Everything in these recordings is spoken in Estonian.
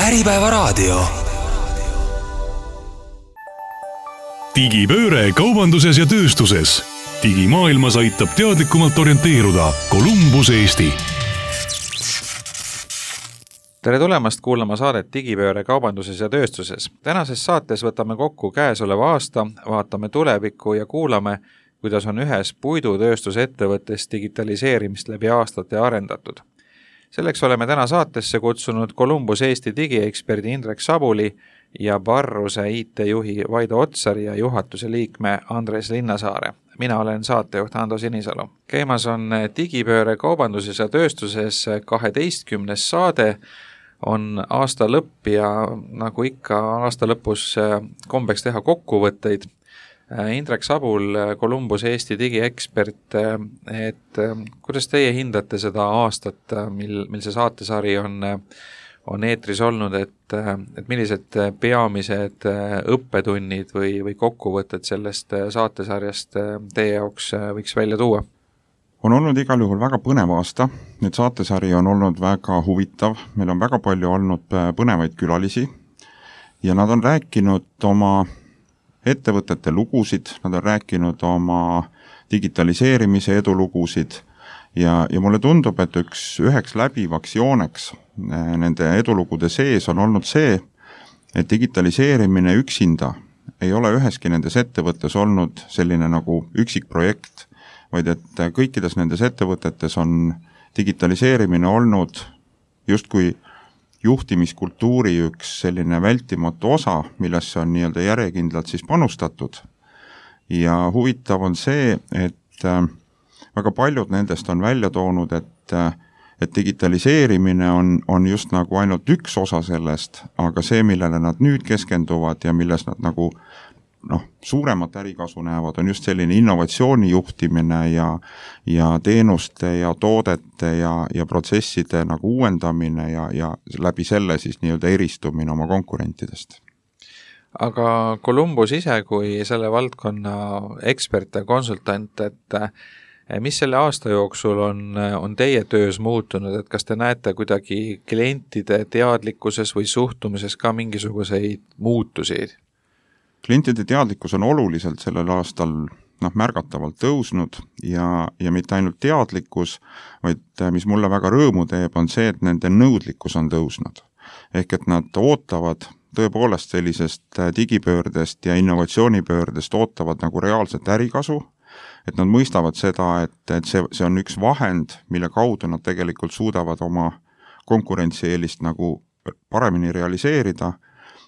Äripäevaraadio. Digipööre kaubanduses ja tööstuses. Digimaailmas aitab teadlikumalt orienteeruda Columbus Eesti. Tere tulemast kuulama saadet Digipööre kaubanduses ja tööstuses. Tänases saates võtame kokku käesoleva aasta, vaatame tulevikku ja kuulame, kuidas on ühes puidutööstusettevõttes digitaliseerimist läbi aastate arendatud. Selleks oleme täna saatesse kutsunud Columbus Eesti digieksperdi Indrek Sabuli ja Barruse IT-juhi Vaido Otsari ja juhatuse liikme Andres Linnasaare. Mina olen saatejuht Ando Sinisalu. Käimas on Digipööre kaubanduses ja tööstuses 12. saade, on aasta lõpp ja nagu ikka aasta lõpus kombeks teha kokkuvõtteid. Indrek Sabul, Columbus Eesti digiekspert, et kuidas teie hindate seda aastat, mil see saatesari on eetris olnud, et millised peamised õppetunnid või kokkuvõtted sellest saatesarjast teie jaoks võiks välja tuua? On olnud igal juhul väga põnev aasta, nüüd saatesari on olnud väga huvitav, meil on väga palju olnud põnevaid külalisi ja nad on rääkinud oma ettevõtete lugusid, nad on rääkinud oma digitaliseerimise edulugusid ja mulle tundub, et üheks läbivaks jooneks nende edulugude sees on olnud see, et digitaliseerimine üksinda ei ole üheski nendes ettevõttes olnud selline nagu üksik projekt, vaid et kõikides nendes ettevõtetes on digitaliseerimine olnud justkui juhtimiskultuuri üks selline vältimatu osa, millesse on nii-öelda järjekindlalt siis panustatud. Ja huvitav on see, et väga paljud nendest on välja toonud, et digitaliseerimine on just nagu ainult üks osa sellest, aga see, millele nad nüüd keskenduvad ja milles nad nagu suuremat ärikasu näevad, on just selline innovatsiooni juhtimine ja teenuste ja toodete ja protsesside nagu uuendamine ja läbi selle siis nii-öelda eristumine oma konkurentidest. Aga Columbus ise kui selle valdkonna ekspert ja konsultant, et mis selle aasta jooksul on teie töös muutunud, et kas te näete kuidagi klientide teadlikkuses või suhtumises ka mingisuguseid muutusi? Klientide teadlikkus on oluliselt sellel aastal märgatavalt tõusnud ja mitte ainult teadlikkus, vaid mis mulle väga rõõmu teeb, on see, et nende nõudlikkus on tõusnud. Ehk et nad ootavad tõepoolest sellisest digipöördest ja innovatsioonipöördest ootavad nagu reaalset ärikasu, et nad mõistavad seda, et see on üks vahend, mille kaudu nad tegelikult suudavad oma konkurentsieelist nagu paremini realiseerida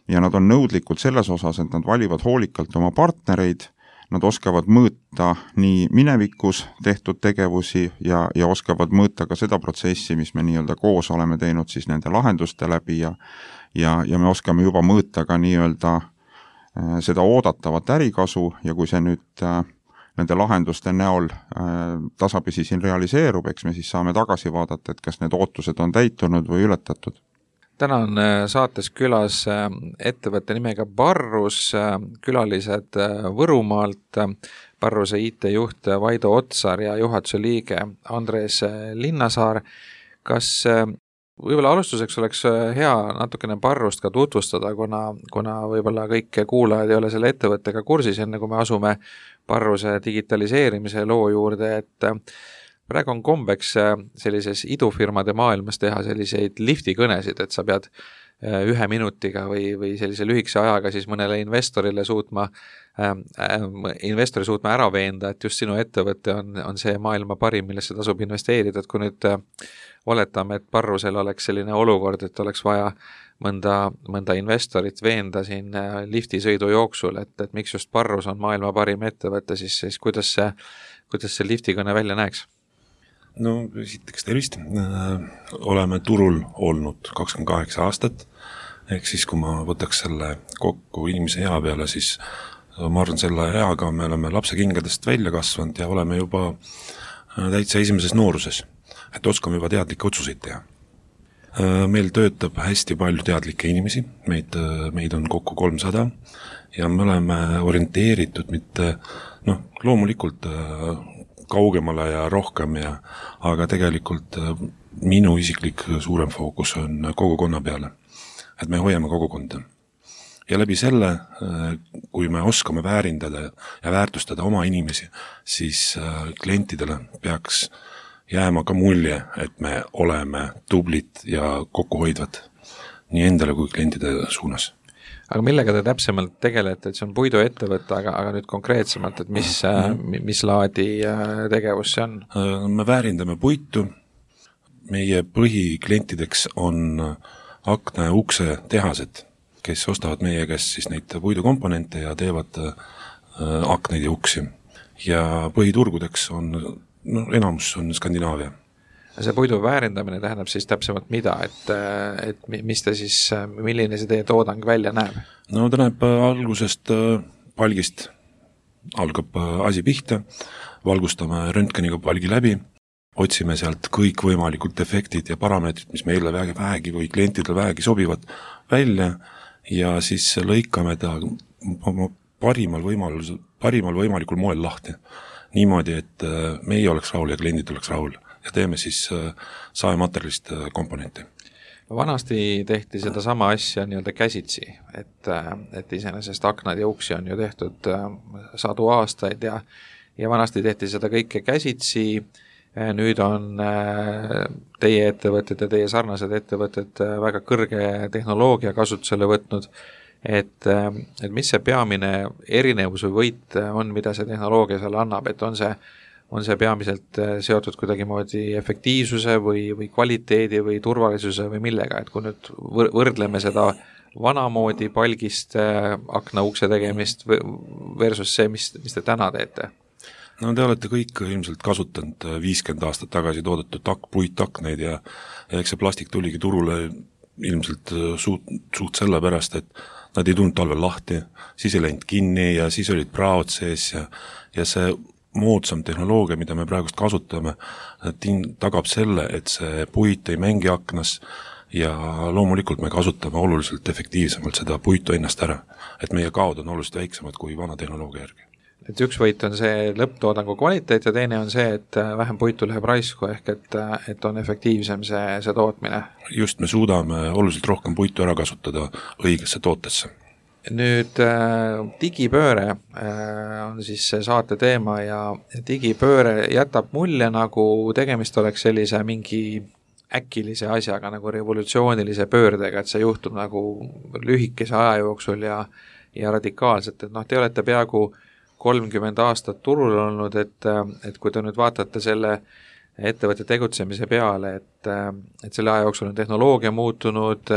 ja nad on nõudlikud selles osas, et nad valivad hoolikalt oma partnereid, nad oskavad mõõta nii minevikus tehtud tegevusi ja oskavad mõõta ka seda protsessi, mis me nii-öelda koos oleme teinud siis nende lahenduste läbi ja me oskame juba mõõta ka nii-öelda seda oodatavat ärikasu ja kui see nüüd nende lahenduste näol tasapisi siin realiseerub, eks me siis saame tagasi vaadata, et kas need ootused on täitunud või ületatud. Täna on saates külas ettevõtte nimega Barrus, külalised Võrumaalt, Barruse IT-juht Vaido Otsar ja juhatuse liige Andres Linnasaar. Kas võib-olla alustuseks oleks hea natukene Barrust ka tutvustada, kuna võib-olla kõik kuulajad ei ole selle ettevõttega kursis, enne kui me asume Barruse digitaliseerimise loo juurde, et praegu on kombeks sellises idufirmade maailmas teha selliseid liftikõnesid, et sa pead 1 minutiga või sellise lühikese ajaga siis mõnele investori suutma ära veenda, et just sinu ettevõte on see maailma parim, millesse tasub investeerida, et kui nüüd oletame, et Barrusel oleks selline olukord, et oleks vaja mõnda investorit veenda siin liftisõidu jooksul, et miks just Barrus on maailma parim ettevõte, siis kuidas see liftikõne välja näeks? No esiteks tervist, oleme turul olnud 28 aastat, ehk siis kui ma võtaks selle kokku inimese ea peale, siis ma arvan selle eaga me oleme lapsekingadest välja kasvanud ja oleme juba täitsa esimeses nooruses, et oskame juba teadlikke otsuseid teha. Meil töötab hästi palju teadlikke inimesi, meid on kokku 300 ja me oleme orienteeritud mitte, loomulikult kaugemale ja rohkem aga tegelikult minu isiklik suurem fookus on kogukonna peale. et me hoiame kogukonda. Ja läbi selle, kui me oskame väärindada ja väärtustada oma inimesi, siis klientidele peaks jääma ka mulje, et me oleme tublid ja kokkuhoidvad nii endale kui klientide suunas. Aga millega te täpsemalt tegelete, et see on puiduettevõte, aga nüüd konkreetsemalt, et mis laadi tegevus see on? Me väärindame puitu, meie põhiklientideks on akna ja ukse tehased, kes ostavad meie käest siis neid puidukomponente ja teevad akneid ja uksi. Ja põhiturgudeks on, enamus on Skandinaavia. See puidu väärindamine tähendab siis täpsemalt mida, et mis te siis, milline see teie toodang välja näeb? No ta näeb algusest palgist, algab asi pihta, valgustame röntgeniga palgi läbi, otsime sealt kõik võimalikud defektid ja parameetrid, mis meile vähegi või klientidele vähegi sobivad välja ja siis lõikame ta parimal võimalikul moel lahti. Niimoodi, et meie oleks rahul ja kliendid oleks rahul. Ja teeme siis saematerjalist komponenti. Vanasti tehti seda sama asja nii-öelda käsitsi, et iseenesest aknad ja uksi on ju tehtud sadu aastaid ja vanasti tehti seda kõike käsitsi, nüüd on teie ettevõtted ja teie sarnased ettevõtted väga kõrge tehnoloogia kasutusele võtnud, et mis see peamine erinevus või võit on, mida see tehnoloogia seal annab, et on see peamiselt seotud kuidagimoodi efektiivsuse või kvaliteedi või turvalisuse või millega, et kui nüüd võrdleme seda vanamoodi palgist akna ukse tegemist versus see, mis te täna teete? No te olete kõik ilmselt kasutanud 50 aastat tagasi toodetud puitakneid ja eks see plastik tuligi turule ilmselt suht selle pärast, et nad ei tulnud talvel lahti, siis ei läinud kinni ja siis olid praod sees ja see moodsam tehnoloogia, mida me praegust kasutame, tagab selle, et see puit ei mängi aknas ja loomulikult me kasutame oluliselt efektiivsemalt seda puitu ennast ära, et meie kaod on oluliselt väiksemad kui vana tehnoloogia järgi. Et üks võit on see lõpptoodangu kvaliteet ja teine on see, et vähem puitu läheb raisku ehk et on efektiivsem see tootmine. Just, me suudame oluliselt rohkem puitu ära kasutada õigesse tootesse. Nüüd digipööre on siis see saate teema ja digipööre jätab mulje, nagu tegemist oleks sellise mingi äkilise asjaga, nagu revolutsioonilise pöördega, et see juhtub nagu lühikese aja jooksul ja radikaalselt, et te olete peaaegu 30 aastat turul olnud, et kui te nüüd vaatate selle ettevõtte tegutsemise peale, et selle aja jooksul on tehnoloogia muutunud,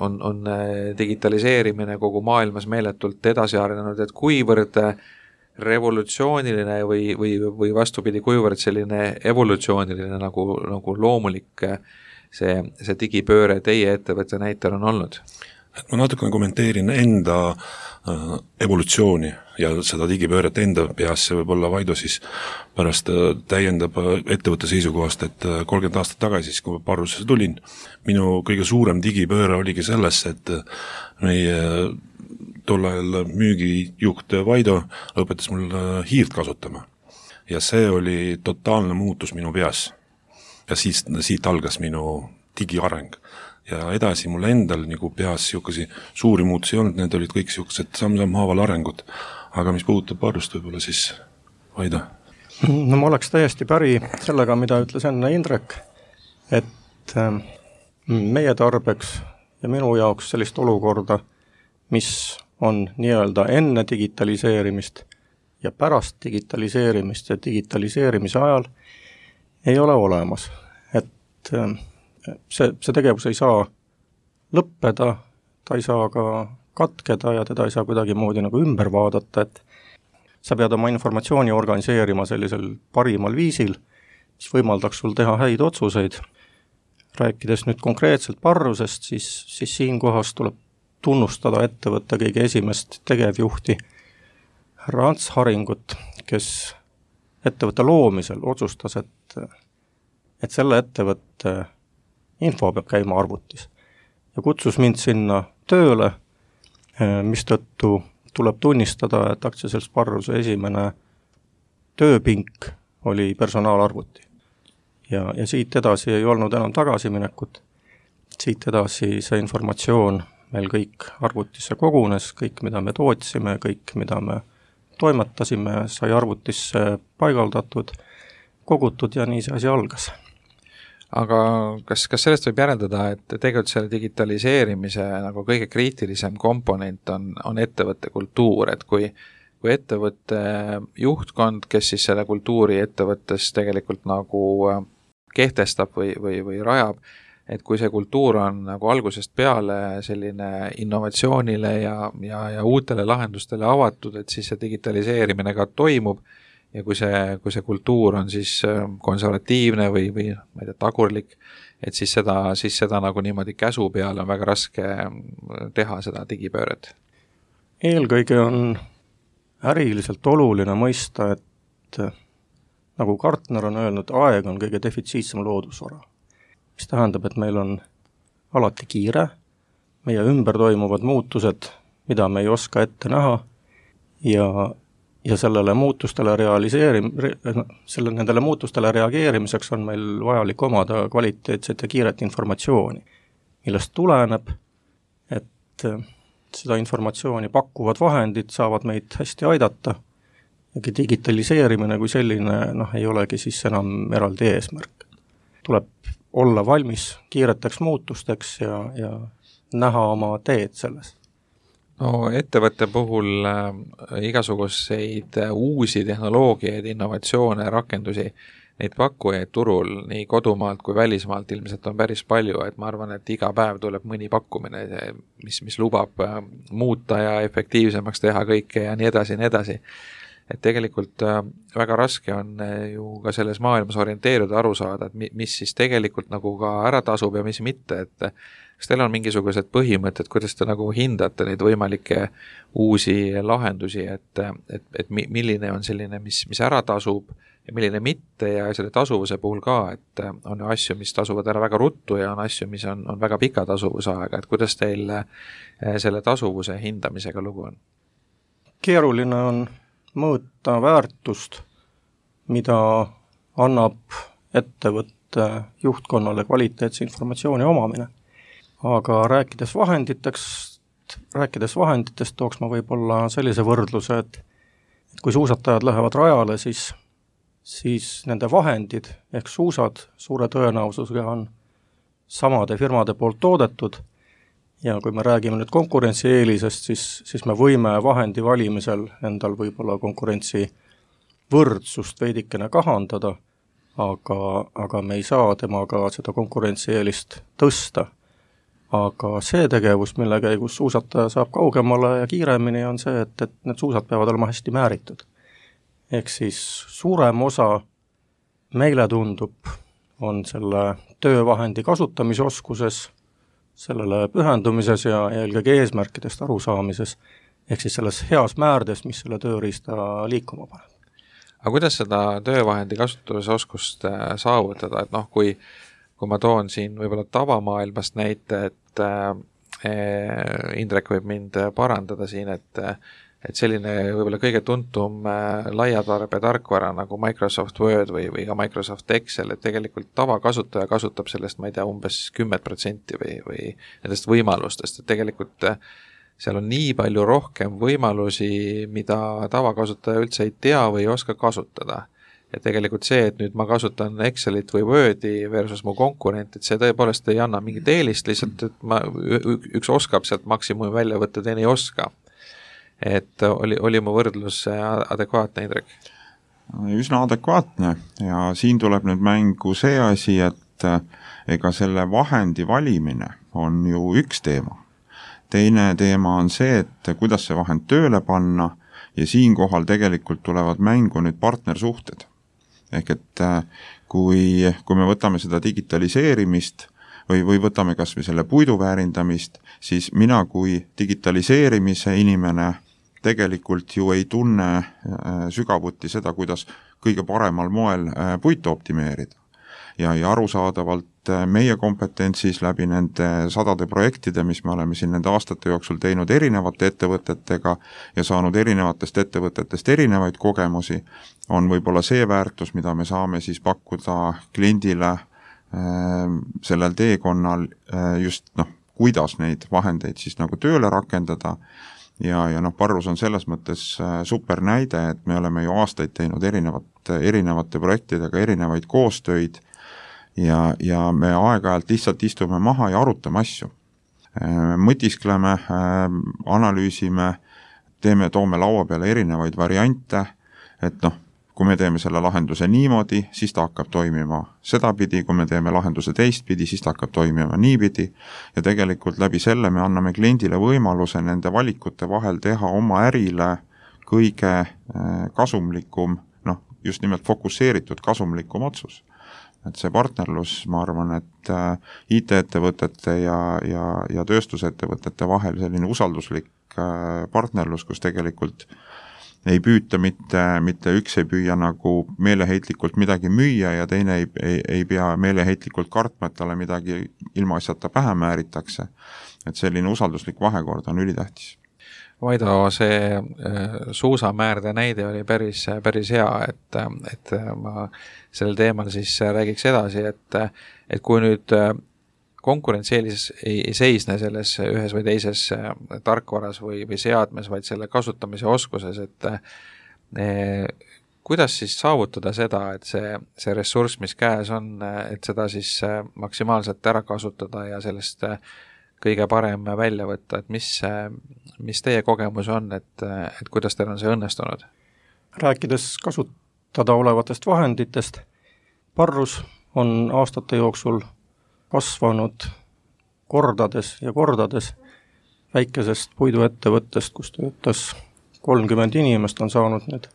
on digitaliseerimine kogu maailmas meeletult edasi arenenud, et kuivõrd revolutsiooniline või vastupidi, kuivõrd selline evolutsiooniline nagu loomulik see digipööre teie ettevõtte näitel on olnud? Ma natukene kommenteerin enda evolutsiooni ja seda digipööret enda peas, see võib olla Vaido siis pärast täiendab ettevõtte seisukohast, et 30 aastat tagasi, siis kui Parrusesse tulin, minu kõige suurem digipööre oligi selles, et meie tol ajal müügijuht Vaido õpetas mul hiirt kasutama. Ja see oli totaalne muutus minu peas. Ja siit algas minu digiareng. Ja edasi mul endal nagu peas siukesi suuri muutusi ei olnud, need olid kõik siuksed samm-haaval arengud. Aga mis puudutab Parrust võib-olla siis Vaido? No ma oleks täiesti päri sellega, mida ütles enne Indrek, et meie tarbeks ja minu jaoks sellist olukorda, mis on nii-öelda enne digitaliseerimist ja pärast digitaliseerimist ja digitaliseerimise ajal ei ole olemas. Et see tegevus ei saa lõppeda, ta ei saa ka katkeda ja teda ei saa kuidagi moodi nagu ümber vaadata, et sa pead oma informatsiooni organiseerima sellisel parimal viisil, mis võimaldaks sul teha häid otsuseid. Rääkides nüüd konkreetselt Parrusest, siis siinkohas tuleb tunnustada ettevõtte kõige esimest tegevjuhti härra Ants Haringut, kes ettevõtte loomisel otsustas, et selle ettevõtte info peab käima arvutis ja kutsus mind sinna tööle, mistõttu tuleb tunnistada, et aktsiaselts Parruse esimene tööpink oli personaalarvuti. Ja siit edasi ei olnud enam tagasiminekut. siit edasi see informatsioon meil kõik arvutisse kogunes, kõik, mida me tootsime, kõik, mida me toimetasime, sai arvutisse paigaldatud, kogutud ja nii see asi algas. Aga kas sellest võib järeldada, et tegelikult selle digitaliseerimise nagu kõige kriitilisem komponent on ettevõtte kultuur, et kui ettevõtte juhtkond, kes siis selle kultuuri ettevõttes tegelikult nagu kehtestab või rajab, et kui see kultuur on nagu algusest peale selline innovatsioonile ja uutele lahendustele avatud, et siis see digitaliseerimine ka toimub ja kui see kultuur on siis konservatiivne või ma ei tea, tagurlik, et siis seda nagu niimoodi käsu peale on väga raske teha seda digipööret. Eelkõige on äriliselt oluline mõista, et nagu Gartner on öelnud, aeg on kõige defitsiitsem loodusvara. Mis tähendab, et meil on alati kiire, meie ümber toimuvad muutused, mida me ei oska ette näha ja sellele nendele muutustele reageerimiseks on meil vajalik omada kvaliteetset ja kiiret informatsiooni, millest tuleneb, et seda informatsiooni pakkuvad vahendid saavad meid hästi aidata ja digitaliseerimine kui selline ei olegi siis enam eraldi eesmärk. Tuleb olla valmis kiireteks muutusteks ja näha oma teed selles. No ettevõtte puhul igasuguseid uusi tehnoloogiaid, innovatsioone, rakendusi, neid pakkujaid turul nii kodumaalt kui välismaalt ilmselt on päris palju, et ma arvan, et iga päev tuleb mõni pakkumine, mis lubab muuta ja efektiivsemaks teha kõike ja nii edasi. Et tegelikult väga raske on ju ka selles maailmas orienteeruda, aru saada, et mis siis tegelikult nagu ka ära tasub ja mis mitte, et kas teil on mingisugused põhimõtted, kuidas te nagu hindate neid võimalikke uusi lahendusi, et milline on selline, mis ära tasub ja milline mitte ja selle tasuvuse puhul ka, et on asju, mis tasuvad ära väga ruttu ja on asju, mis on väga pika tasuvusaega, et kuidas teil selle tasuvuse hindamisega lugu on? Keeruline on mõõta väärtust, mida annab ettevõtte juhtkonnale kvaliteetse informatsiooni omamine. Aga rääkides vahenditest tooks ma võib-olla sellise võrdluse, et kui suusatajad lähevad rajale, siis nende vahendid ehk suusad suure tõenäosusega on samade firmade poolt toodetud ja kui me räägime nüüd konkurentsieelisest, siis me võime vahendi valimisel endal võib-olla konkurentsi võrdsust veidikene kahandada, aga me ei saa temaga seda konkurentsieelist tõsta. Aga see tegevus, mille käigus suusataja saab kaugemale ja kiiremini, on see, et need suusad peavad olema hästi määritud. Ehk siis suurem osa meile tundub on selle töövahendi kasutamisoskuses, sellele pühendumises ja eelkõige eesmärkidest arusaamises, ehk siis selles heas määrdes, mis selle tööriista liikuma paneb. Aga kuidas seda töövahendi kasutamisoskust saavutada, et kui ma toon siin võib-olla tavamaailmast näite, et Indrek võib mind parandada siin, et selline võib-olla kõige tuntum laiatarbe tarkvara nagu Microsoft Word või ka Microsoft Excel, et tegelikult tavakasutaja kasutab sellest, ma ei tea, umbes 10% või nendest võimalustest, et tegelikult seal on nii palju rohkem võimalusi, mida tavakasutaja üldse ei tea või ei oska kasutada. Ja tegelikult see, et nüüd ma kasutan Excelit või Wordi versus mu konkurent, et see tõepoolest ei anna mingit eelist, lihtsalt et üks oskab sealt maksimumi välja võtta, teine ei oska. Et oli mu võrdlus adekvaatne, Indrek? Üsna adekvaatne ja siin tuleb nüüd mängu see asi, et ega selle vahendi valimine on ju üks teema. Teine teema on see, et kuidas see vahend tööle panna ja siinkohal tegelikult tulevad mängu nüüd partnersuhted. Ehk et kui me võtame seda digitaliseerimist või võtame kas või selle puidu väärindamist, siis mina kui digitaliseerimise inimene tegelikult ju ei tunne sügavuti seda, kuidas kõige paremal moel puitu optimeerida. Ja arusaadavalt meie kompetentsis läbi nende sadade projektide, mis me oleme siin nende aastate jooksul teinud erinevate ettevõtetega ja saanud erinevatest ettevõtetest erinevaid kogemusi, on võib-olla see väärtus, mida me saame siis pakkuda kliendile sellel teekonnal just kuidas neid vahendeid siis nagu tööle rakendada ja Parrus on selles mõttes super näide, et me oleme ju aastaid teinud erinevate projektidega erinevaid koostöid ja me aeg-ajalt lihtsalt istume maha ja arutame asju. Mõtiskleme, analüüsime, toome laua peale erinevaid variante, et kui me teeme selle lahenduse niimoodi, siis ta hakkab toimima sedapidi, kui me teeme lahenduse teistpidi, siis ta hakkab toimima niipidi ja tegelikult läbi selle me anname kliendile võimaluse nende valikute vahel teha oma ärile kõige kasumlikum, just nimelt fokusseeritud kasumlikum otsus. Et see partnerlus, ma arvan, et IT-ettevõtete ja tööstusettevõtete vahel selline usalduslik partnerlus, kus tegelikult ei püüta mitte üks ei püüa nagu meeleheitlikult midagi müüa ja teine ei pea meeleheitlikult kartma, et talle midagi ilmaasjata pähe määritakse. Et selline usalduslik vahekord on ülitähtis. Vaido, see suusamäärde näide oli päris hea, et ma sellel teemal siis räägiks edasi, et kui nüüd konkurentsieelis ei seisne selles ühes või teises tarkvaras või seadmes, vaid selle kasutamise oskuses, et kuidas siis saavutada seda, et see ressurss, mis käes on, et seda siis maksimaalselt ära kasutada ja sellest kõige parem välja võtta, et mis teie kogemus on, et kuidas teil on see õnnestunud? Rääkides kasutada olevatest vahenditest, Parrus on aastate jooksul kasvanud kordades ja kordades. Väikesest puiduettevõttest, kus töötas 30 inimest, on saanud nüüd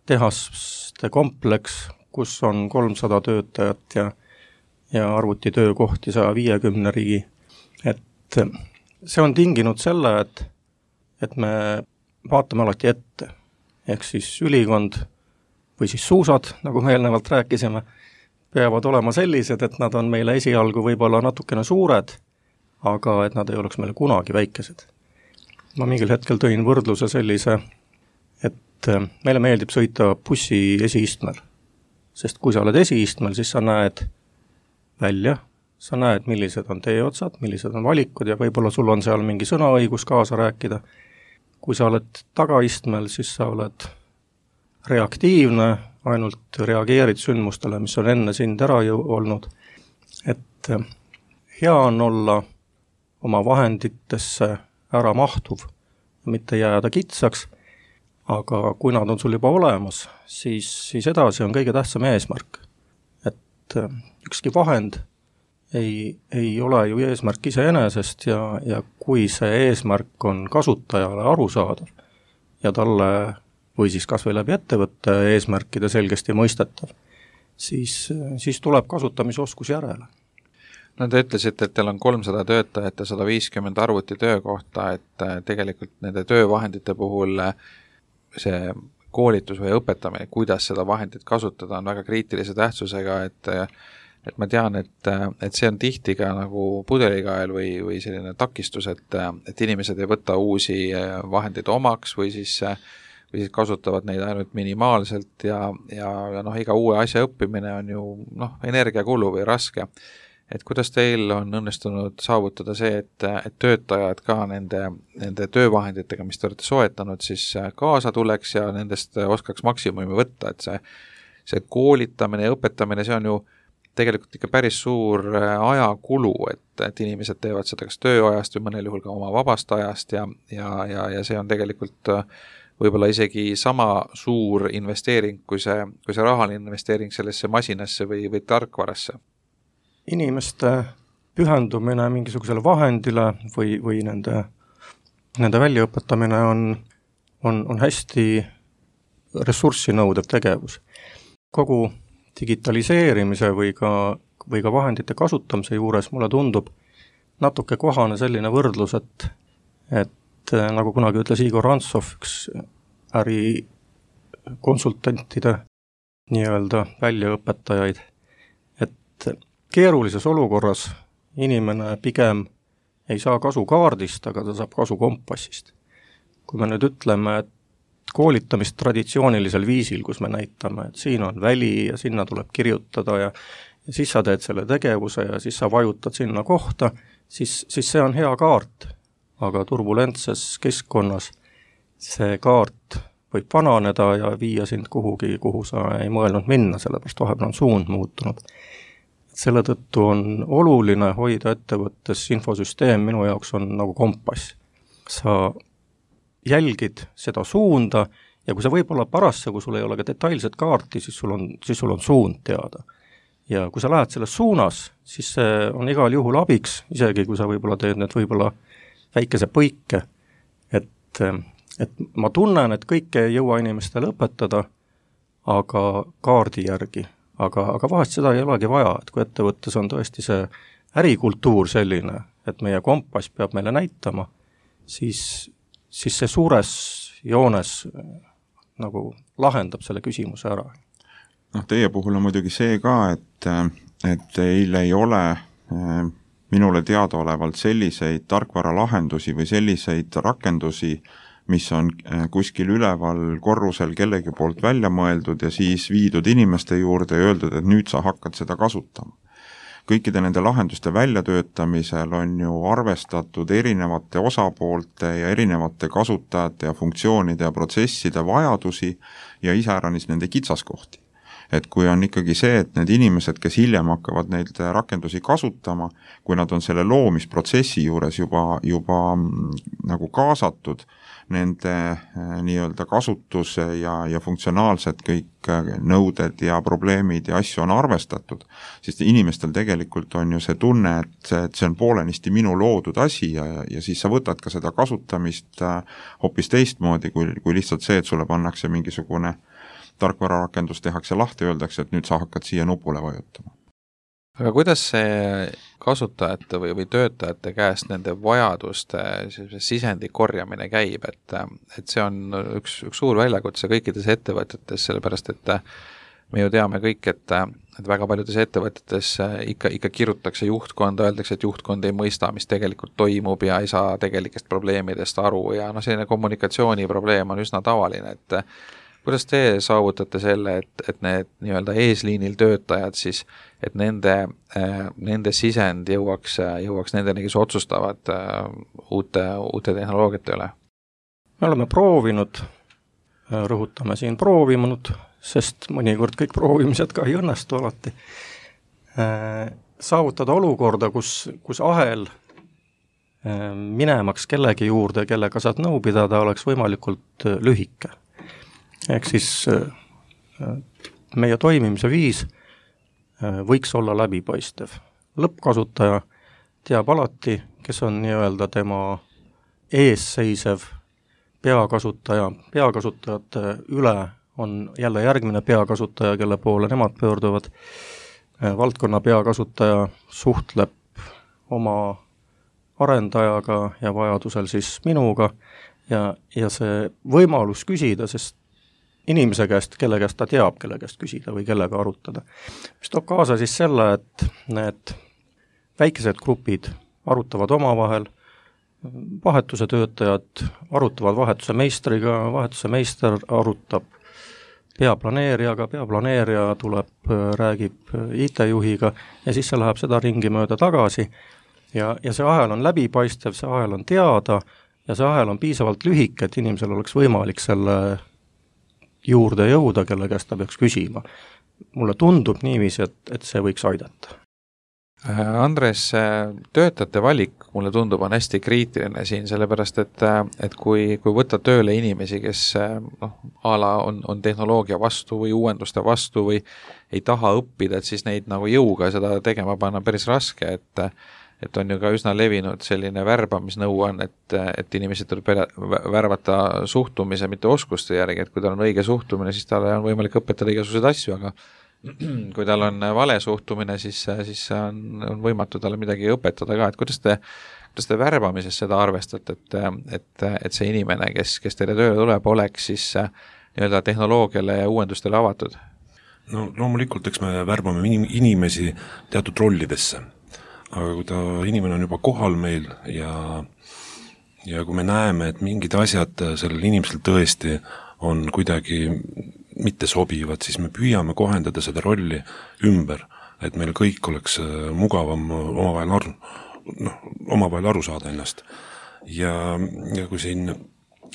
tehaste kompleks, kus on 300 töötajat ja arvutitöökohti 150 riigi. Et see on tinginud selle, et me vaatame alati ette. Ehk siis ülikond või siis suusad, nagu me eelnevalt rääkisime, peavad olema sellised, et nad on meile esialgu võib-olla natukene suured, aga et nad ei oleks meile kunagi väikesed. Ma mingil hetkel tõin võrdluse sellise, et meile meeldib sõita bussi esiistmel. Sest kui sa oled esiistmel, siis sa näed välja, sa näed, millised on teeotsad, millised on valikud ja võib-olla sul on seal mingi sõnaõigus kaasa rääkida. Kui sa oled tagaistmel, siis sa oled reaktiivne, ainult reageerid sündmustele, mis on enne sind ära olnud. Et hea on olla oma vahenditesse ära mahtuv, mitte jääda kitsaks, aga kui nad on sul juba olemas, siis edasi on kõige tähtsam eesmärk. Et ükski vahend ei ole ju eesmärk iseenesest ja kui see eesmärk on kasutajale arusaadav ja talle või siis kas või läbi ettevõtte eesmärkide selgesti mõistetav, siis tuleb kasutamisoskus järele. No te ütlesite, et teil on 300 töötajat ja 150 arvuti töökohta, et tegelikult nende töövahendite puhul see koolitus või õpetamine, kuidas seda vahendit kasutada, on väga kriitilise tähtsusega, et ma tean, et see on tihti ka nagu pudelikael või selline takistus, et inimesed ei võta uusi vahendeid omaks või siis kasutavad neid ainult minimaalselt ja iga uue asja õppimine on ju energiakulu või raske. Et kuidas teil on õnnestunud saavutada see, et töötajad ka nende töövahenditega, mis te olete soetanud, siis kaasa tuleks ja nendest oskaks maksimumi võtta, et see koolitamine ja õpetamine, see on ju tegelikult ikka päris suur ajakulu, et inimesed teevad seda kas tööajast või mõnel juhul ka oma vabast ajast ja see on tegelikult võib-olla isegi sama suur investeering, kui see rahaline investeering sellesse masinasse või tarkvarasse. Inimeste pühendumine mingisugusele vahendile või nende väljaõpetamine on hästi ressurssi nõudev tegevus. Kogu digitaliseerimise või ka vahendite kasutamise juures mulle tundub natuke kohane selline võrdlus, et nagu kunagi ütles Igor Rantsov, üks ärikonsultantide nii-öelda väljaõpetajaid, et keerulises olukorras inimene pigem ei saa kasu kaardist, aga ta saab kasu kompassist. Kui me nüüd ütleme, et koolitamist traditsioonilisel viisil, kus me näitame, et siin on väli ja sinna tuleb kirjutada ja siis sa teed selle tegevuse ja siis sa vajutad sinna kohta, siis see on hea kaart, aga turbulentses keskkonnas see kaart võib vananeda ja viia sind kuhugi, kuhu sa ei mõelnud minna, sellepärast vahepeal on suund muutunud. Selle tõttu on oluline hoida ettevõttes infosüsteem, minu jaoks on nagu kompass. Sa jälgid seda suunda ja kui sa võib-olla parasse, kui sul ei ole ka detailset kaarti, siis sul on suund teada. Ja kui sa lähed selles suunas, siis see on igal juhul abiks, isegi kui sa võib-olla teed need võib-olla väikese põike, et ma tunnen, et kõike ei jõua inimestele õpetada, aga kaardi järgi. Aga vahest seda ei olegi vaja, et kui ettevõttes on tõesti see ärikultuur selline, et meie kompass peab meile näitama, siis see suures joones nagu lahendab selle küsimuse ära. Teie puhul on muidugi see ka, et teil ei ole minule teadaolevalt selliseid tarkvaralahendusi või selliseid rakendusi, mis on kuskil üleval korrusel kellegi poolt välja mõeldud ja siis viidud inimeste juurde ja öeldud, et nüüd sa hakkad seda kasutama. Kõikide nende lahenduste väljatöötamisel on ju arvestatud erinevate osapoolte ja erinevate kasutajate ja funktsioonide ja protsesside vajadusi ja iseäranis nende kitsaskohti. Et kui on ikkagi see, et need inimesed, kes hiljem hakkavad neid rakendusi kasutama, kui nad on selle loomisprotsessi juures juba nagu kaasatud, nende nii-öelda kasutuse ja funktsionaalsed kõik nõuded ja probleemid ja asju on arvestatud, siis inimestel tegelikult on ju see tunne, et see on poolenisti minu loodud asi ja siis sa võtad ka seda kasutamist hoopis teistmoodi, kui lihtsalt see, et sulle pannakse mingisugune tarkvararakendus tehakse lahti ja öeldakse, et nüüd sa hakkad siia nupule vajutama. Aga kuidas see kasutajate või töötajate käest nende vajaduste sisendi korjamine käib, et see on üks suur väljakutse kõikides ettevõtetes, sellepärast et me ju teame kõik, et väga paljudes ettevõtetes ikka kirutakse juhtkonda, öeldakse, et juhtkond ei mõista, mis tegelikult toimub ja ei saa tegelikest probleemidest aru ja selline kommunikatsiooniprobleem on üsna tavaline, et kuidas te saavutate selle, et need nii-öelda eesliinil töötajad siis, et nende sisend jõuaks nendeni, kes otsustavad uute tehnoloogiate üle? Me oleme proovinud, rõhutame siin proovinud, sest mõnikord kõik proovimised ka ei õnnestu alati, saavutada olukorda, kus ahel minemaks kellegi juurde, kellega saad nõu pidada, oleks võimalikult lühike. Ehk siis meie toimimise viis võiks olla läbipaistev. Lõppkasutaja teab alati, kes on nii-öelda tema eesseisev peakasutaja. Peakasutajate üle on jälle järgmine peakasutaja, kelle poole nemad pöörduvad. Valdkonna peakasutaja suhtleb oma arendajaga ja vajadusel siis minuga ja see võimalus küsida, sest inimese käest, kelle käest ta teab, kelle käest küsida või kellega arutada. Mis toob kaasa siis selle, et need väikesed grupid arutavad omavahel, vahetuse töötajad arutavad vahetuse meistriga, vahetuse meister arutab peaplaneerijaga, peaplaneerija tuleb, räägib IT-juhiga ja siis see läheb seda ringi mööda tagasi ja see ahel on läbipaistev, see ahel on teada ja see ahel on piisavalt lühike, et inimesel oleks võimalik selle juurde jõuda, kelle käest ta peaks küsima. Mulle tundub niiviisi, et see võiks aidata. Andres, töötajate valik mulle tundub on hästi kriitiline siin, sellepärast et kui võtta tööle inimesi, kes ala on tehnoloogia vastu või uuenduste vastu või ei taha õppida, et siis neid nagu jõuga seda tegema panna päris raske, et on ju ka üsna levinud selline värbamisnõu on, et inimesed tuleb värvata suhtumise, mitte oskuste järgi, et kui tal on õige suhtumine, siis talle on võimalik õpetada igasuguseid asju, aga kui tal on vale suhtumine, siis on võimatu talle midagi õpetada ka, et kuidas te värbamises seda arvestate, et see inimene, kes teile tööle tuleb, oleks siis nii-öelda tehnoloogiale ja uuendustele avatud? No loomulikult, eks me värbame inimesi teatud rollidesse. Aga kui inimene on juba kohal meil ja kui me näeme, et mingid asjad sellel inimesel tõesti on kuidagi mitte sobivad, siis me püüame kohendada seda rolli ümber et meil kõik oleks mugavam omavahel aru saada ennast. Ja kui siin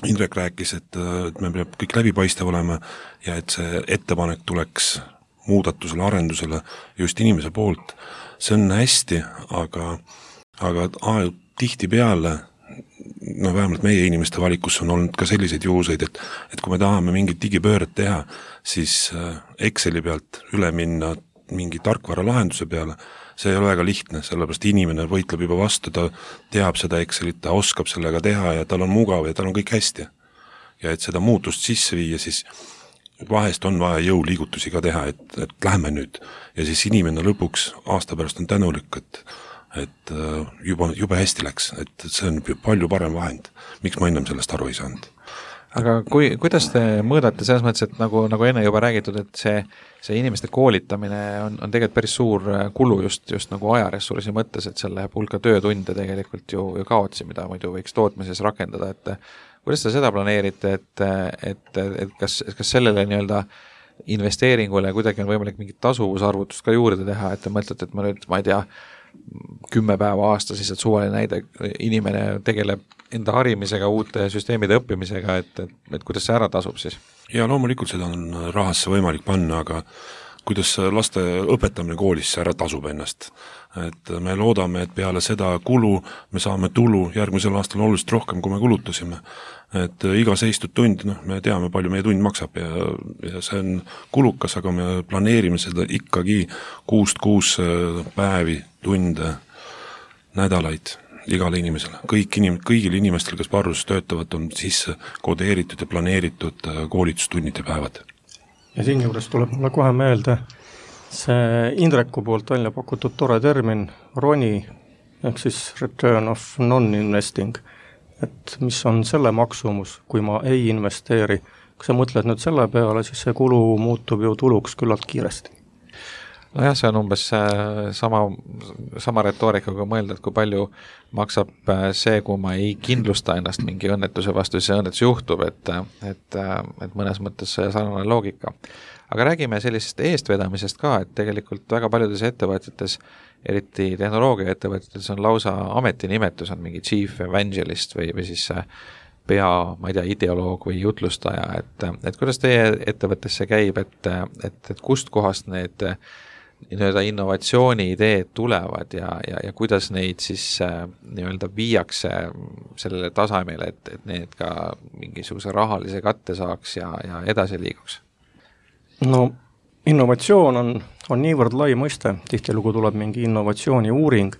Indrek rääkis, et me peab kõik läbipaistev olema ja et see ettepanek tuleks muudatusele, arendusele just inimese poolt, see on hästi, aga tihti peale, vähemalt meie inimeste valikus on olnud ka selliseid juhuseid, et kui me tahame mingit digipööret teha, siis Exceli pealt üle minna mingi tarkvara lahenduse peale, see ei ole väga lihtne, sellepärast inimene võitleb juba vastu, ta teab seda Excelit, ta oskab sellega teha ja tal on mugav ja tal on kõik hästi. Ja et seda muutust sisse viia, siis vahest on vaja jõuliigutusi ka teha, et lähme nüüd. Ja siis inimene lõpuks aasta pärast on tänulik, et juba hästi läks, et see on palju parem vahend. Miks ma ennem sellest aru ei saanud? Aga kuidas te mõõdate selles mõttes, et nagu enne juba räägitud, et see inimeste koolitamine on tegelikult päris suur kulu just nagu ajaressursi mõttes, et selle hulka töötunde tegelikult ju kaotsi, mida muidu võiks tootmises rakendada, et kuidas te seda planeerite, et kas sellele nii-öelda investeeringule kuidagi on võimalik mingit tasuvusarvutust ka juurde teha, et te mõtlete, et ma ei tea, 10 päeva aastas lihtsalt suvaline näide, inimene tegeleb enda harimisega, uute süsteemide õppimisega, et kuidas see ära tasub siis? Ja loomulikult seda on rahasse võimalik panna, aga kuidas laste õpetamine koolis ära tasub ennast. Et me loodame, et peale seda kulu me saame tulu järgmisel aastal oluliselt rohkem, kui me kulutasime. Et iga seistud tund, me teame, palju meie tund maksab ja see on kulukas, aga me planeerime seda ikkagi 6 päevi, tunde, nädalaid igale inimesele. Kõigil inimestel, kes Parruses töötavad, on sisse kodeeritud ja planeeritud koolitustunnid ja päevad. Ja siin juures tuleb mulle kohe meelde see Indreku poolt välja pakutud tore termin RONI, ehk siis Return of Non-Investing, et mis on selle maksumus, kui ma ei investeeri. Kui sa mõtled nüüd selle peale, siis see kulu muutub ju tuluks küllalt kiiresti. Nojah, see on umbes sama retoorikaga mõelda, et kui palju maksab see, kui ma ei kindlusta ennast mingi õnnetuse vastu, siis see õnnetus juhtub, et mõnes mõttes sarnane loogika. Aga räägime sellisest eestvedamisest ka, et tegelikult väga paljudes ettevõtetes, eriti tehnoloogia ettevõtetes on lausa ametinimetus, on mingi chief evangelist või siis ma ei tea, ideoloog või jutlustaja, et kuidas teie ettevõttes see käib, et kust kohast need innovatsiooni ideed tulevad ja kuidas neid siis nii-öelda viiakse sellele tasemele, et need ka mingisuguse rahalise katte saaks ja edasi liiguks? No innovatsioon on niivõrd lai mõiste, tihtilugu tuleb mingi innovatsiooni uuring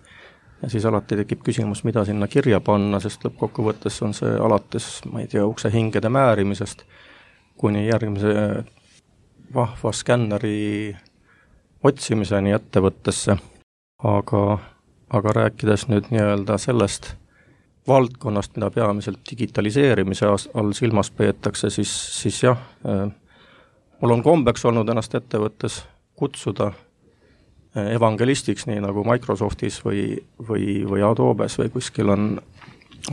ja siis alati tekib küsimus, mida sinna kirja panna, sest lõppkokkuvõttes on see alates, ma ei tea, ukse hingede määrimisest kuni järgmise vahva skänneri otsimiseni ettevõttesse, aga rääkides nüüd nii-öelda sellest valdkonnast, mida peamiselt digitaliseerimise all silmas peetakse, siis jah, mul on kombeks olnud ennast ettevõttes kutsuda evangelistiks, nii nagu Microsoftis või Adobes või kuskil on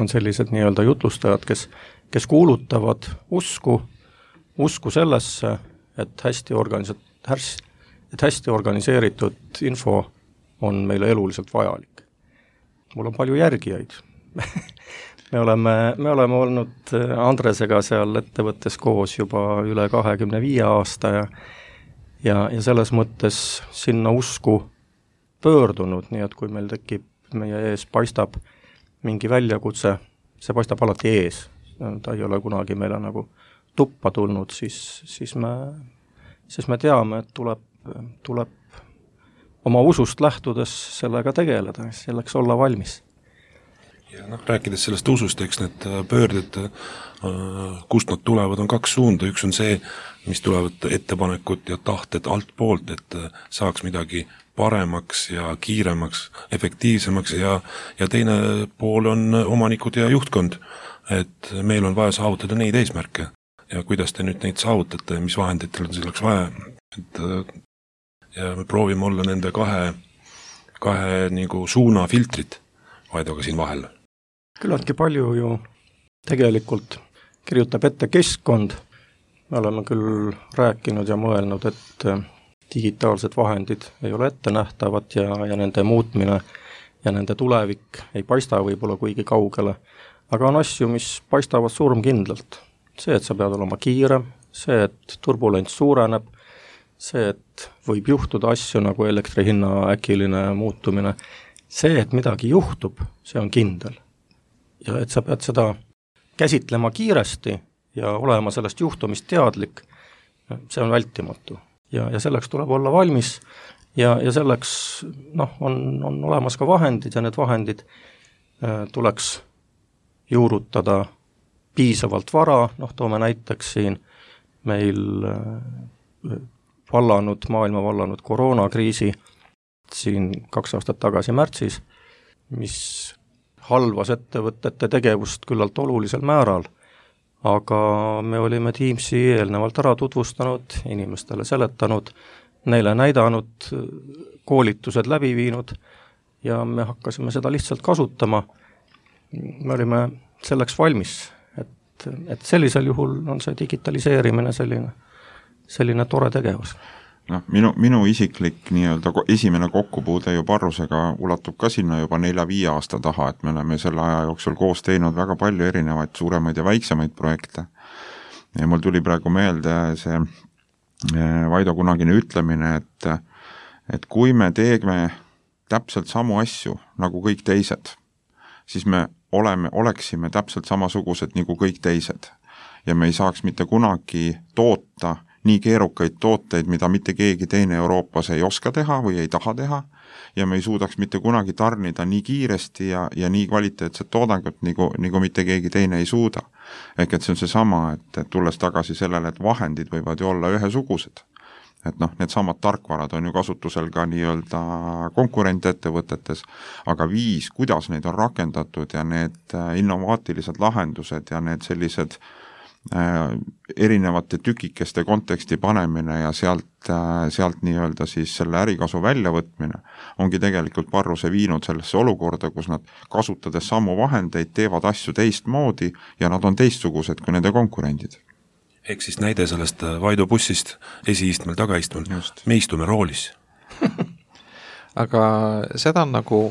sellised nii-öelda jutlustajad, kes kuulutavad usku sellesse, et hästi organiseeritud info on meile eluliselt vajalik. Mul on palju järgijaid. Me oleme olnud Andresega seal ettevõttes koos juba üle 25 aasta ja selles mõttes sinna usku pöördunud, nii et kui meil tekib, meie ees paistab mingi väljakutse, see paistab alati ees, ta ei ole kunagi meile nagu tuppa tulnud, siis me teame, et tuleb oma usust lähtudes sellega tegeleda, selleks olla valmis. Ja rääkides sellest usust, eks need pöörded, kust nad tulevad, on 2 suunda. Üks on see, mis tulevad ettepanekud ja tahted alt poolt, et saaks midagi paremaks ja kiiremaks, efektiivsemaks ja teine pool on omanikud ja juhtkond, et meil on vaja saavutada neid eesmärke ja kuidas te nüüd neid saavutate, mis vahenditel on selleks vaja, ja me proovime olla nende kahe nagu suuna filtrit Vaidoga siin vahel. Küllaltki palju ju tegelikult kirjutab ette keskkond. Me oleme küll rääkinud ja mõelnud, et digitaalsed vahendid ei ole ettenähtavad ja nende muutmine ja nende tulevik ei paista võib-olla kuigi kaugele, aga on asju, mis paistavad surmkindlalt. See, et sa pead olema kiirem, see, et turbulents suureneb, see, et võib juhtuda asju nagu elektri hinna äkiline muutumine, see, et midagi juhtub, see on kindel. Ja et sa pead seda käsitlema kiiresti ja olema sellest juhtumist teadlik, see on vältimatu. Ja selleks tuleb olla valmis ja selleks on olemas ka vahendid ja need vahendid tuleks juurutada piisavalt vara, toome näiteks siin meil maailma vallanud koroonakriisi siin 2 aastat tagasi märtsis, mis halvas ettevõtete tegevust küllalt olulisel määral, aga me olime Teamsi eelnevalt ära tutvustanud, inimestele seletanud, neile näidanud, koolitused läbi viinud ja me hakkasime seda lihtsalt kasutama. Me olime selleks valmis, et sellisel juhul on see digitaliseerimine selline tore tegevus. Minu isiklik esimene kokkupuude ju Parrusega ulatub ka sinna juba 4-5 aasta taha, et me oleme selle aja jooksul koos teinud väga palju erinevaid suuremaid ja väiksemaid projekte. Ja mul tuli praegu meelde see Vaido kunagine ütlemine, et kui me teeme täpselt samu asju nagu kõik teised, siis me oleksime täpselt samasugused nagu kõik teised ja me ei saaks mitte kunagi toota nii keerukaid tooteid, mida mitte keegi teine Euroopas ei oska teha või ei taha teha ja me ei suudaks mitte kunagi tarnida nii kiiresti ja nii kvaliteetset toodangut, nagu mitte keegi teine ei suuda. Ehk et see on seesama, et tulles tagasi sellele, et vahendid võivad ju olla ühesugused. Et need samad tarkvarad on ju kasutusel ka nii-öelda konkurentettevõtetes, aga viis, kuidas neid on rakendatud ja need innovaatilised lahendused ja need sellised erinevate tükikeste konteksti panemine ja sealt nii-öelda siis selle ärikasu väljavõtmine ongi tegelikult Parruse viinud sellesse olukorda, kus nad kasutades samu vahendeid teevad asju teistmoodi ja nad on teistsugused kui nende konkurendid. Ehk siis näide sellest Vaido bussist esiistmel, tagaistmel, me istume roolis. Aga seda on nagu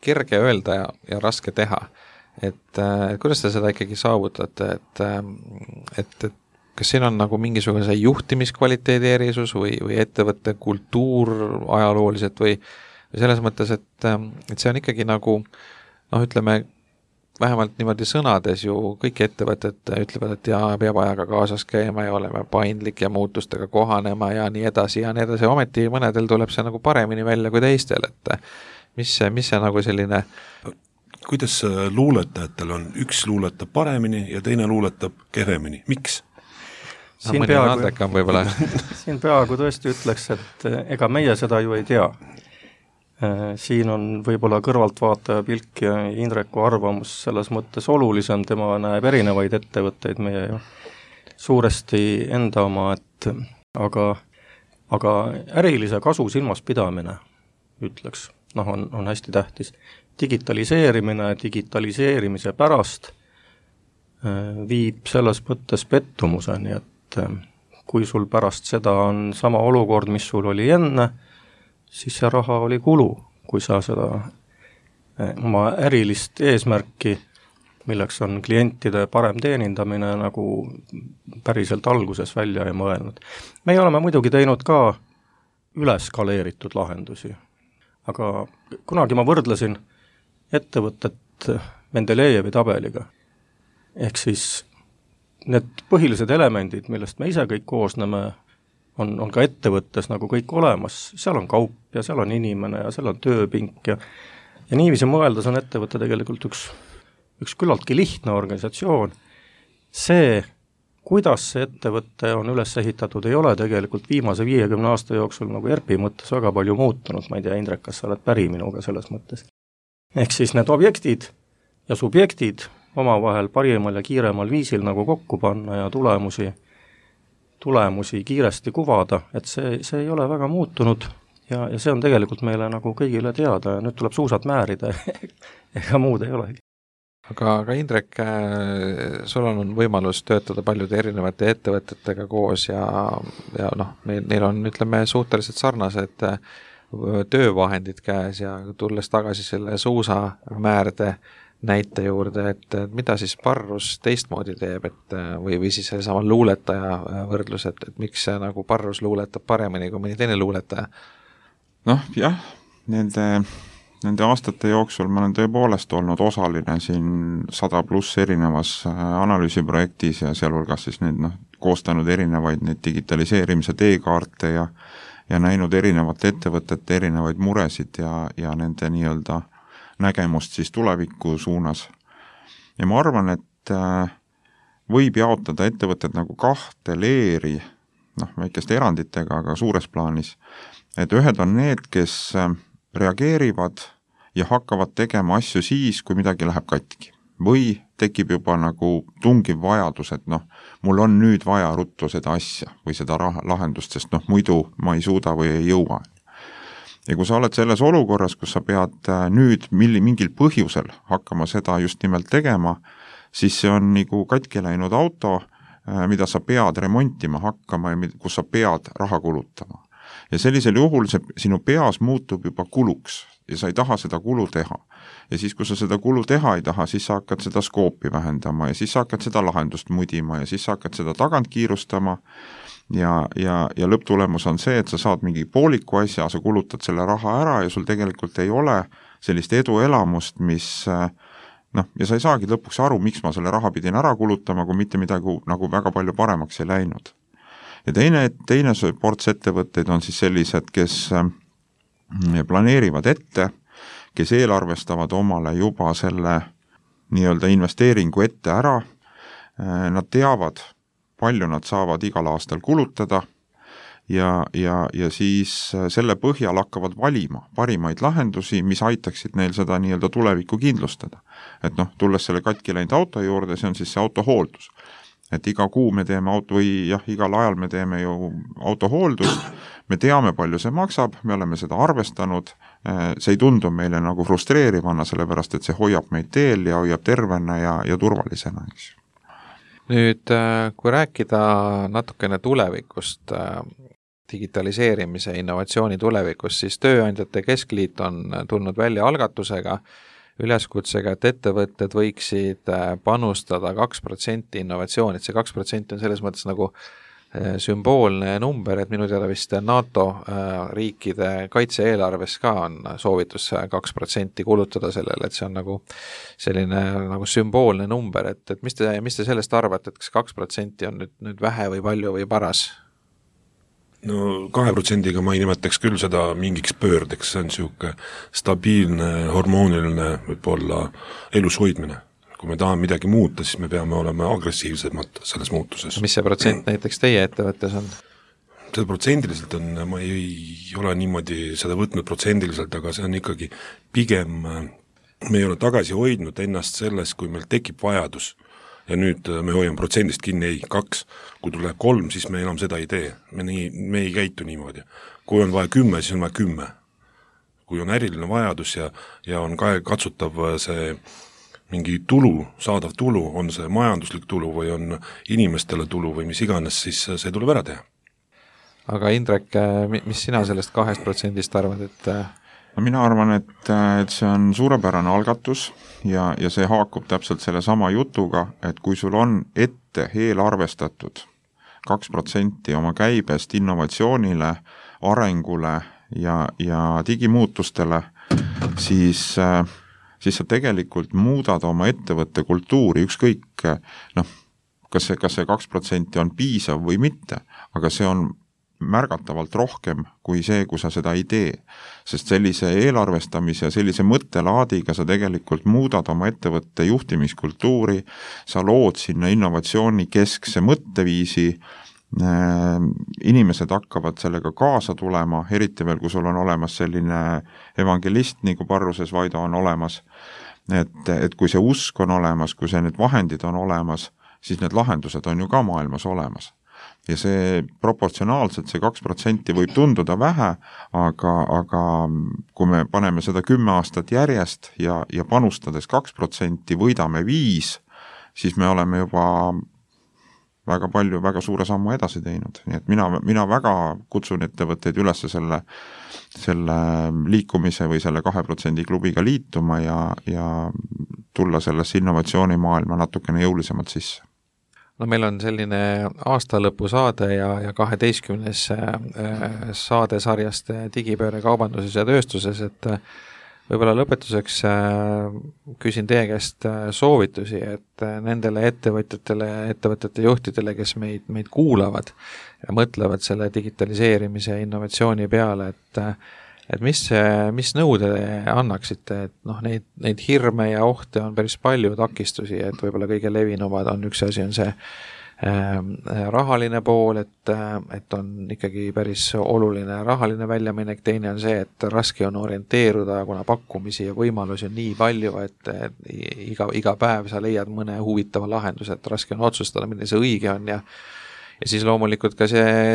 kerge öelda ja raske teha. Et kuidas te seda ikkagi saavutate, et kas siin on nagu mingisuguse juhtimiskvaliteedi erisus või ettevõtte kultuur ajalooliselt või selles mõttes, et see on ikkagi nagu ütleme, vähemalt niimoodi sõnades ju kõik ettevõtted ütlevad, et peab ajaga kaasas käima ja olema paindlik ja muutustega kohanema ja nii edasi, ometi mõnedel tuleb see nagu paremini välja kui teistel, et mis see nagu selline kuidas luuletajatel on, üks luuletab paremini ja teine luuletab kehvemini, miks? Siin peaaegu tõesti ütleks, et ega meie seda ju ei tea. Siin on võib-olla kõrvaltvaataja pilk ja Indreku arvamus selles mõttes olulisem, tema näeb erinevaid ettevõtteid, meie ju suuresti enda oma, aga ärilise kasu silmas pidamine, ütleks, on hästi tähtis. Digitaliseerimise pärast viib selles mõttes pettumuseni, et kui sul pärast seda on sama olukord, mis sul oli enne, siis see raha oli kulu, kui sa seda oma ärilist eesmärki, milleks on klientide parem teenindamine, nagu päriselt alguses välja ei mõelnud. Me oleme muidugi teinud ka üleskaleeritud lahendusi, aga kunagi ma võrdlesin ettevõtet Mendelejevi tabeliga. Ehk siis need põhilised elemendid, millest me ise kõik koosneme, on ka ettevõttes nagu kõik olemas. Seal on kaup ja seal on inimene ja seal on tööpink ja niiviisi mõeldes on ettevõte tegelikult üks küllaltki lihtne organisatsioon. See, kuidas see ettevõte on üles ehitatud, ei ole tegelikult viimase 50 aasta jooksul nagu ERP-i mõttes väga palju muutunud. Ma ei tea, Indrek, kas sa oled päri minuga selles mõttes? Ehk siis need objektid ja subjektid omavahel parimal ja kiiremal viisil nagu kokku panna ja tulemusi kiiresti kuvada, et see ei ole väga muutunud ja see on tegelikult meile nagu kõigile teada ja nüüd tuleb suusad määrida ega muud ei olegi. aga Indrek, sul on võimalus töötada paljude erinevate ettevõtetega koos ja noh, neil on, ütleme, suhteliselt sarnased töövahendid käes ja tulles tagasi selle suusamäärde näite juurde, et mida siis Parrus teistmoodi teeb, et või siis sellesama luuletaja võrdlus, et miks see nagu Parrus luuletab paremini kui mõni teine luuletaja? Noh, jah, nende aastate jooksul ma olen tõepoolest olnud osaline siin 100+ erinevas analüüsiprojektis ja sealhulgas siis koostanud erinevaid neid digitaliseerimise teekaarte ja näinud erinevate ettevõtete erinevaid muresid ja nende nii-öelda nägemust siis tuleviku suunas. Ja ma arvan, et võib jaotada ettevõtted nagu 2 leeri, väikeste eranditega, aga suures plaanis, et ühed on need, kes reageerivad ja hakkavad tegema asju siis, kui midagi läheb katki. Või tekib juba nagu tungiv vajadus, et mul on nüüd vaja ruttu seda asja või seda lahendust, sest muidu ma ei suuda või ei jõua. Ja kui sa oled selles olukorras, kus sa pead nüüd mingil põhjusel hakkama seda just nimelt tegema, siis see on nagu katki läinud auto, mida sa pead remontima hakkama ja kus sa pead raha kulutama. Ja sellisel juhul see sinu peas muutub juba kuluks ja sa ei taha seda kulu teha. Ja siis, kui sa seda kulu teha ei taha, siis sa hakkad seda skoopi vähendama ja siis sa hakkad seda lahendust mudima ja siis sa hakkad seda tagant kiirustama ja lõpptulemus on see, et sa saad mingi pooliku asja, sa kulutad selle raha ära ja sul tegelikult ei ole sellist eduelamust, mis ja sa ei saagi lõpuks aru, miks ma selle raha pidin ära kulutama, kui mitte midagi nagu väga palju paremaks ei läinud. Ja teine ports ettevõtteid on siis sellised, kes planeerivad ette, kes eelarvestavad omale juba selle nii-öelda investeeringu ette ära, nad teavad, palju nad saavad igal aastal kulutada ja siis selle põhjal hakkavad valima parimaid lahendusi, mis aitaksid neil seda nii-öelda tulevikku kindlustada. Et tulles selle katki läinud auto juurde, see on siis see autohooldus. Et iga kuu me teeme igal ajal me teeme ju autohooldust, me teame, palju see maksab, me oleme seda arvestanud, see ei tundu meile nagu frustreerivana, sellepärast et see hoiab meid teel ja hoiab tervena ja turvalisena, eks. Nüüd, kui rääkida natukene tulevikust, digitaliseerimise innovatsiooni tulevikust, siis Tööandjate Keskliit on tulnud välja algatusega, üleskutsega, et ettevõtted võiksid panustada 2% innovatsiooni, et see 2% on selles mõttes nagu sümboolne number, et minu teada vist NATO riikide kaitse-eelarves ka on soovitus 2% kulutada sellele, et see on nagu selline nagu sümboolne number, et mis te sellest arvate, et kas 2% on nüüd vähe või palju või paras? No 2%-ga ma ei nimetaks küll seda mingiks pöördeks, see on niisugune stabiilne, hormooniline võib-olla elus hoidmine. Kui me tahame midagi muuta, siis me peame olema agressiivsemad selles muutuses. Mis see protsent näiteks teie ettevõttes on? Seda protsendiliselt on, ma ei ole niimoodi seda võtnud protsendiliselt, aga see on ikkagi pigem, me ei ole tagasi hoidnud ennast selles, kui meil tekib vajadus. Ja nüüd me hoiame protsendist kinni, ei, 2, kui tuleb 3, siis me enam seda ei tee, me ei käitu niimoodi. Kui on vaja 10, siis on vaja 10. Kui on äriline vajadus ja on katsutav see mingi tulu, saadav tulu, on see majanduslik tulu või on inimestele tulu või mis iganes, siis see tuleb ära teha. Aga Indrek, mis sina sellest 2% arvad, et mina arvan, et see on suurepärane algatus ja see haakub täpselt selle sama jutuga, et kui sul on ette eelarvestatud 2% oma käibest innovatsioonile, arengule ja digimuutustele, siis sa tegelikult muudad oma ettevõtte kultuuri, ükskõik, kas see 2% on piisav või mitte, aga see on märgatavalt rohkem kui see, kui sa seda ei tee. Sest sellise eelarvestamise ja sellise mõttelaadiga sa tegelikult muudad oma ettevõtte juhtimiskultuuri, sa lood sinna innovatsiooni keskse mõtteviisi, inimesed hakkavad sellega kaasa tulema, eriti veel, kui sul on olemas selline evangelist, nagu Parruses Vaido on olemas, et kui see usk on olemas, kui see need vahendid on olemas, siis need lahendused on ju ka maailmas olemas. ja see proportsionaalselt, see 2% võib tunduda vähe, aga kui me paneme seda 10 aastat järjest ja panustades 2% võidame 5%, siis me oleme juba väga palju, väga suure sammu edasi teinud. Nii et mina väga kutsun ettevõtteid üles selle liikumise või selle 2% klubiga liituma ja tulla sellesse innovatsioonimaailma natukene jõulisemalt sisse. No meil on selline aastalõpu saade ja 12. saade sarjast digipööre kaubanduses ja tööstuses, et võib-olla lõpetuseks küsin teie käest soovitusi, et nendele ettevõtete juhtidele, kes meid kuulavad ja mõtlevad selle digitaliseerimise ja innovatsiooni peale, et mis nõu te annaksite, et neid hirme ja ohte on päris palju, takistusi, et võib-olla kõige levinumad on, üks asi on see rahaline pool, et on ikkagi päris oluline rahaline väljaminek, teine on see, et raske on orienteeruda, kuna pakkumisi ja võimalusi on nii palju, et iga päev sa leiad mõne huvitava lahenduse, et raske on otsustada, milline see õige on ja siis loomulikult ka see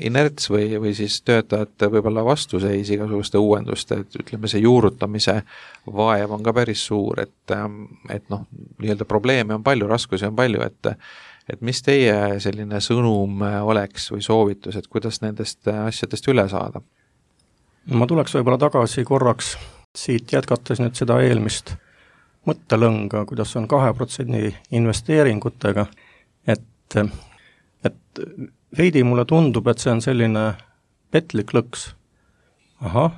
inerts või siis töötajate võib-olla vastuseis igasuguste uuenduste, et ütleme, see juurutamise vaev on ka päris suur, et nii-öelda probleeme on palju, raskusi on palju, et mis teie selline sõnum oleks või soovitus, et kuidas nendest asjadest üle saada? Ma tuleks võib-olla tagasi korraks siit jätkates nüüd seda eelmist mõttelõnga, kuidas on 2% investeeringutega, et veidi mulle tundub, et see on selline petlik lõks. Ahah,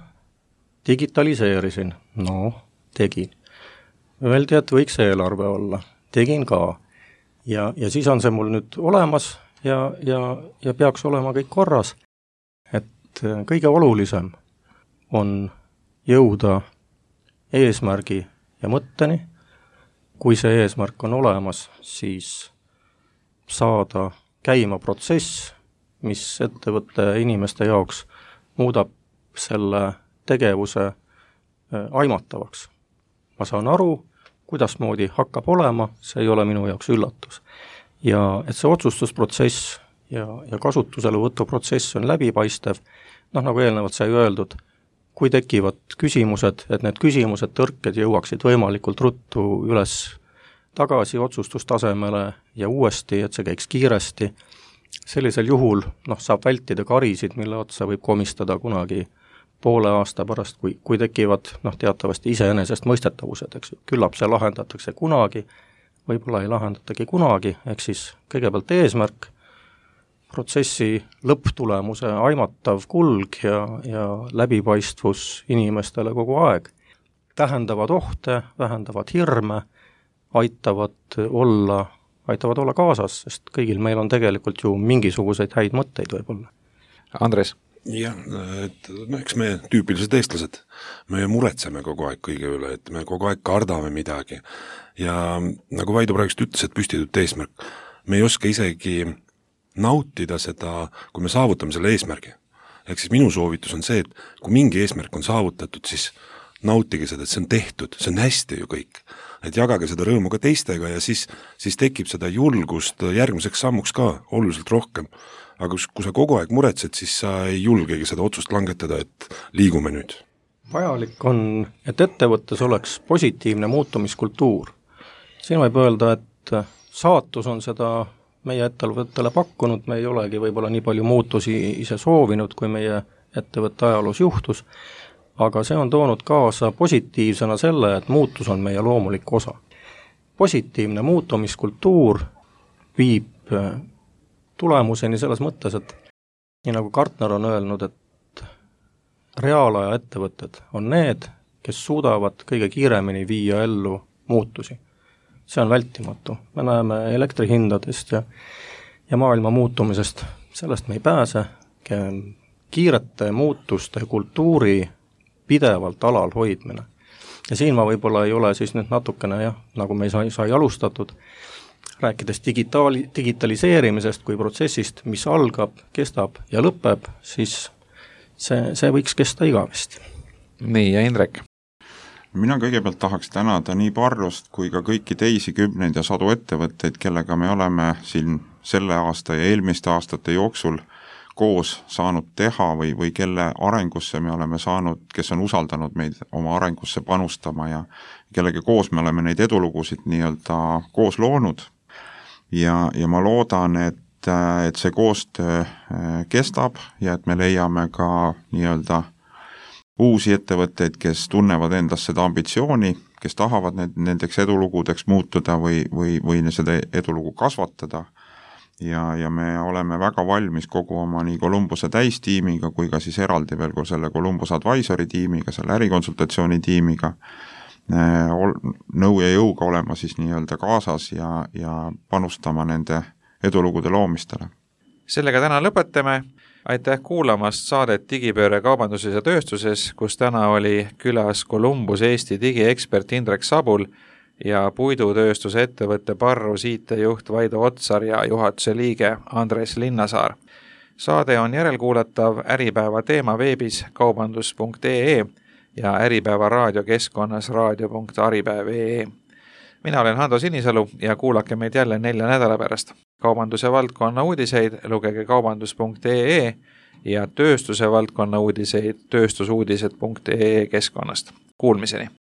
digitaliseerisin, tegin. Öeldi, et võiks eelarve olla, tegin ka. Ja siis on see mul nüüd olemas ja peaks olema kõik korras. Et kõige olulisem on jõuda eesmärgi ja mõtteni. Kui see eesmärk on olemas, siis saada käima protsess, mis ettevõtte inimeste jaoks muudab selle tegevuse aimatavaks. Ma saan aru, kuidasmoodi hakkab olema, see ei ole minu jaoks üllatus. Ja et see otsustusprotsess ja kasutuselevõtu protsess on läbipaistev, nagu eelnevalt sai öeldud, kui tekivad küsimused, et need küsimused, tõrked jõuaksid võimalikult ruttu üles tagasi otsustustasemele ja uuesti, et see käiks kiiresti. Sellisel juhul saab vältida karisid, mille otsa võib komistada kunagi poole aasta pärast, kui tekivad teatavasti iseenesest mõistetavused, eks ju. Küllap see lahendatakse kunagi, võib-olla ei lahendatagi kunagi, ehk siis kõigepealt eesmärk, protsessi lõpptulemuse aimatav kulg ja läbipaistvus inimestele kogu aeg. Tähendavad ohte, vähendavad hirme, aitavad olla kaasas, sest kõigil meil on tegelikult ju mingisuguseid häid mõtteid võib-olla. Andres? Jah, eks me tüüpilised eestlased, me muretseme kogu aeg kõige üle, et me kogu aeg kardame midagi. Ja nagu Vaido praegust ütles, et püstitut eesmärk, me ei oska isegi nautida seda, kui me saavutame selle eesmärgi. Ehk siis minu soovitus on see, et kui mingi eesmärk on saavutatud, siis nautige seda, et see on tehtud, see on hästi ju kõik. Et jagage seda rõõmu ka teistega ja siis tekib seda julgust järgmiseks sammuks ka oluliselt rohkem. Aga kui sa kogu aeg muretsed, siis sa ei julgegi seda otsust langetada, et liigume nüüd. Vajalik on, et ettevõttes oleks positiivne muutumiskultuur. Siin võib öelda, et saatus on seda meie ettevõttele pakkunud, me ei olegi võib-olla nii palju muutusi ise soovinud, kui meie ettevõtte ajaloos juhtus, aga see on toonud kaasa positiivsena selle, et muutus on meie loomulik osa. Positiivne muutumiskultuur viib tulemuseni selles mõttes, et nii nagu Gartner on öelnud, et reaalaja ettevõtted on need, kes suudavad kõige kiiremini viia ellu muutusi. See on vältimatu. Me näeme elektrihindadest ja maailma muutumisest, sellest me ei pääse. Kiirete muutuste kultuuri pidevalt alal hoidmine. Ja siin ma võib-olla ei ole siis nüüd natukene, nagu me sai alustatud, rääkides digitaliseerimisest kui protsessist, mis algab, kestab ja lõpeb, siis see võiks kesta igavesti. Nii, ja Indrek? Mina kõigepealt tahaks tänada nii Parrust kui ka kõiki teisi 10 ja 100 ettevõtteid, kellega me oleme siin selle aasta ja eelmiste aastate jooksul koos saanud teha või kelle arengusse me oleme saanud, kes on usaldanud meid oma arengusse panustama ja kellega koos me oleme neid edulugusid nii-öelda koos loonud. Ja ma loodan, et see koostöö kestab ja et me leiame ka nii-öelda uusi ettevõtteid, kes tunnevad endas seda ambitsiooni, kes tahavad nendeks edulugudeks muutuda või seda edulugu kasvatada. Ja me oleme väga valmis kogu oma nii Columbuse täistiimiga kui ka siis eraldi veel kui selle Columbus Advisory tiimiga, selle ärikonsultatsiooni tiimiga nõu ja jõuga olema siis nii-öelda kaasas ja panustama nende edulugude loomistele. Sellega täna lõpetame. Aitäh kuulamast saadet Digipööre kaubanduses ja tööstuses, kus täna oli külas Columbus Eesti digiekspert Indrek Sabul ja puidutööstuse ettevõtte Parrus IT-juht Vaido Otsar ja juhatuse liige Andres Linnasaar. Saade on järelkuulatav Äripäeva teema veebis kaubandus.ee ja Äripäeva raadiokeskkonnas raadio.aripäev.ee. Mina olen Hando Sinisalu ja kuulake meid jälle 4 nädala pärast. Kaubanduse valdkonna uudiseid lugege kaubandus.ee ja tööstuse valdkonna uudiseid tööstusuudised.ee keskkonnast. Kuulmiseni!